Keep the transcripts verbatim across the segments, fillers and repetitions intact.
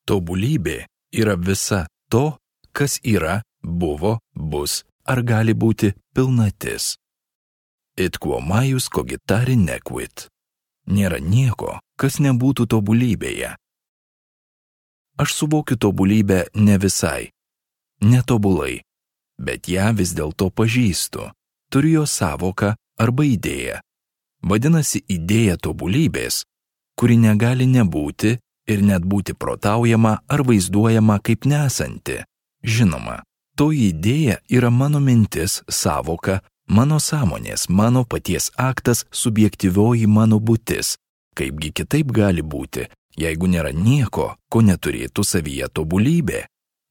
Tobulybė yra visa to, kas yra, buvo, bus ar gali būti pilnatis. Et quo maius cogitari nequit. Nėra nieko, kas nebūtų tobulybėje. Aš suvokiu tobulybę ne visai, netobulai, bet ją vis dėlto pažįstu, turiu jo sąvoką arba idėją. Vadinasi, idėja tobulybės, kuri negali nebūti ir net būti protaujama ar vaizduojama kaip nesanti. Žinoma, toji idėja yra mano mintis, sąvoka, mano sąmonės, mano paties aktas, subjektyvioji mano būtis. Kaipgi kitaip gali būti, jeigu nėra nieko, ko neturėtų savyje tobulybė?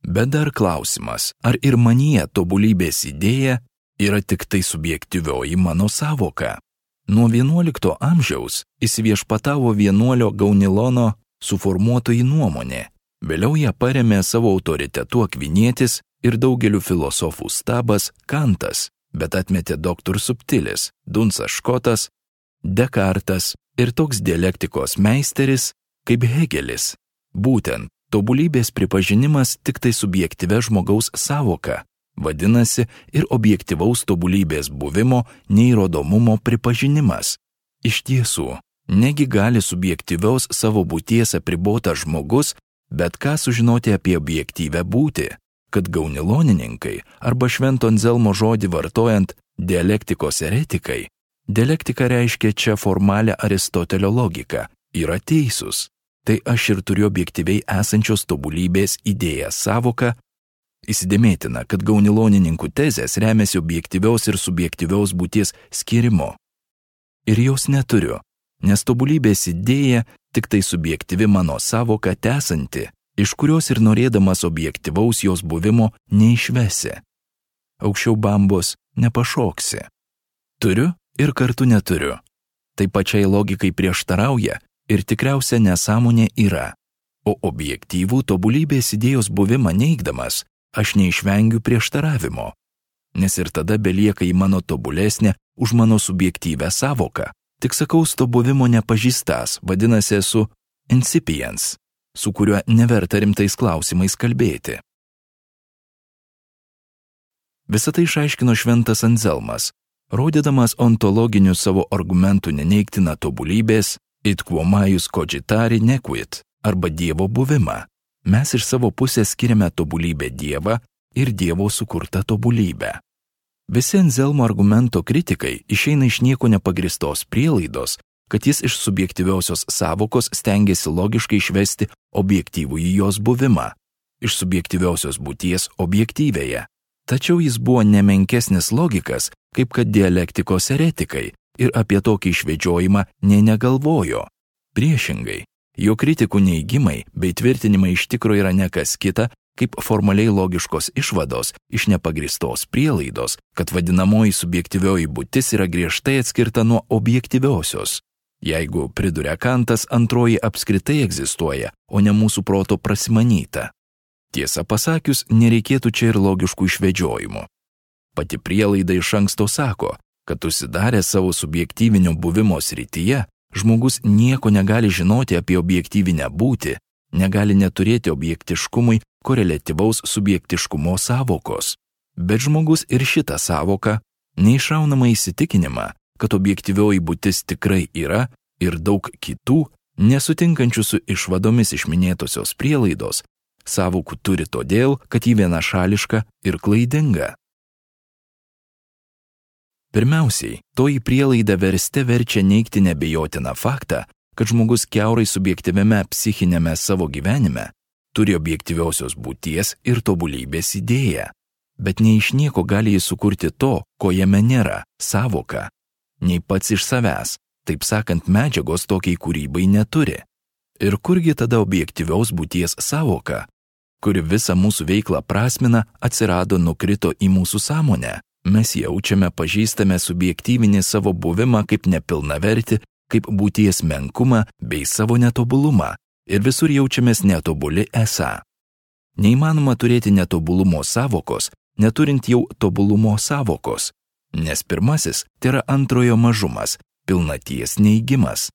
Bet dar klausimas, ar ir manyje tobulybės idėja yra tik tai subjektyvioji mano sąvoka? Nuo vienuolikto amžiaus įsiviešpatavo vienuolio Gaunilono suformuotoji nuomonė. Vėliau ją paremė savo autoritetu Akvinietis ir daugelių filosofų stabas Kantas, bet atmetė doktor Subtilis, Dunsas Škotas, Dekartas ir toks dialektikos meisteris kaip Hegelis. Būtent tobulybės pripažinimas tik tai subjektyvia žmogaus sąvoka, vadinasi ir objektyvaus tobulybės buvimo neįrodomumo pripažinimas. Iš tiesų, negi gali subjektyviaus savo būties apribotas žmogus bet ką sužinoti apie objektyvę būtį, kad gaunilonininkai arba Švento Anzelmo žodį vartojant dialektikos eretikai, dialektika reiškia čia formalią Aristotelio logiką, yra teisūs. Tai aš ir turiu objektyviai esančios tobulybės idėją sąvoką. Įsidėmėtina, kad gaunilonininkų tezės remiasi objektyviaus ir subjektyviaus būties skirimo. Ir jos neturiu, nes tobulybės idėja tik tai subjektyvi mano sąvoka tesanti, iš kurios ir norėdamas objektyvaus jos buvimo neišvesi. Aukščiau bambos nepašoksi. Turiu ir kartu neturiu. Tai pačiai logikai prieštarauja ir tikriausia nesąmonė yra. O objektyvų tobulybės idėjos buvimą neigdamas, aš neišvengiu prieštaravimo. Nes ir tada belieka į mano tobulesnę už mano subjektyvę sąvoką. Tik sakaus to buvimo nepažįstas, vadinasi esu incipiens, su kuriuo neverta rimtais klausimais kalbėti. Visą tai išaiškino Šventas Anzelmas, rodydamas ontologinių savo argumentų neneigtiną tobulybės, et quo maius cogitari nequit, arba Dievo buvimą. Mes iš savo pusės skiriame tobulybę Dievą ir Dievo sukurtą tobulybę. Visi Anzelmo argumento kritikai išeina iš nieko nepagristos prielaidos, kad jis iš subjektyviosios sąvokos stengiasi logiškai išvesti objektyvųjį jos buvimą, iš subjektyviosios būties objektyvėje. Tačiau jis buvo nemenkesnis logikas, kaip kad dialektikos eretikai, ir apie tokį išvedžiojimą nė negalvojo. Priešingai, jo kritikų neigimai bei tvirtinimai iš tikro yra ne kas kita, kaip formaliai logiškos išvados iš nepagristos prielaidos, kad vadinamoji subjektyvioji būtis yra griežtai atskirta nuo objektyviosios. Jeigu, priduria Kantas, antroji apskritai egzistuoja, o ne mūsų proto prasimanyta. Tiesą pasakius, nereikėtų čia ir logiškų išvedžiojimų. Pati prielaida iš anksto sako, kad užsidarę savo subjektyvinio buvimo srityje, žmogus nieko negali žinoti apie objektyvinę būtį, negali neturėti objektiškumui koreliatyvaus subjektiškumo sąvokos. Bet žmogus ir šitą sąvoką, neišraunamą įsitikinimą, kad objektyvioji būtis tikrai yra ir daug kitų, nesutinkančių su išvadomis iš minėtosios prielaidos, sąvokų turi todėl, kad ji vienašališka ir klaidinga. Pirmiausiai, toji prielaida verste verčia neigti nebejotiną faktą, kad žmogus kiaurai subjektyviame psichinėme savo gyvenime turi objektyviosios būties ir tobulybės idėją, bet nei iš nieko gali jis sukurti to, ko jame nėra, sąvoką, nei pats iš savęs, taip sakant, medžiagos tokiai kūrybai neturi. Ir kurgi tada objektyvios būties sąvoka, kuri visą mūsų veiklą prasmina, atsirado, nukrito į mūsų sąmonę? Mes jaučiame, pažįstame subjektyvinį savo buvimą kaip nepilnavertį, kaip būties menkumą bei savo netobulumą ir visur jaučiamės netobuli esą. Neįmanoma turėti netobulumo sąvokos, neturint jau tobulumo sąvokos, nes pirmasis tai yra antrojo mažumas, pilnaties neigimas.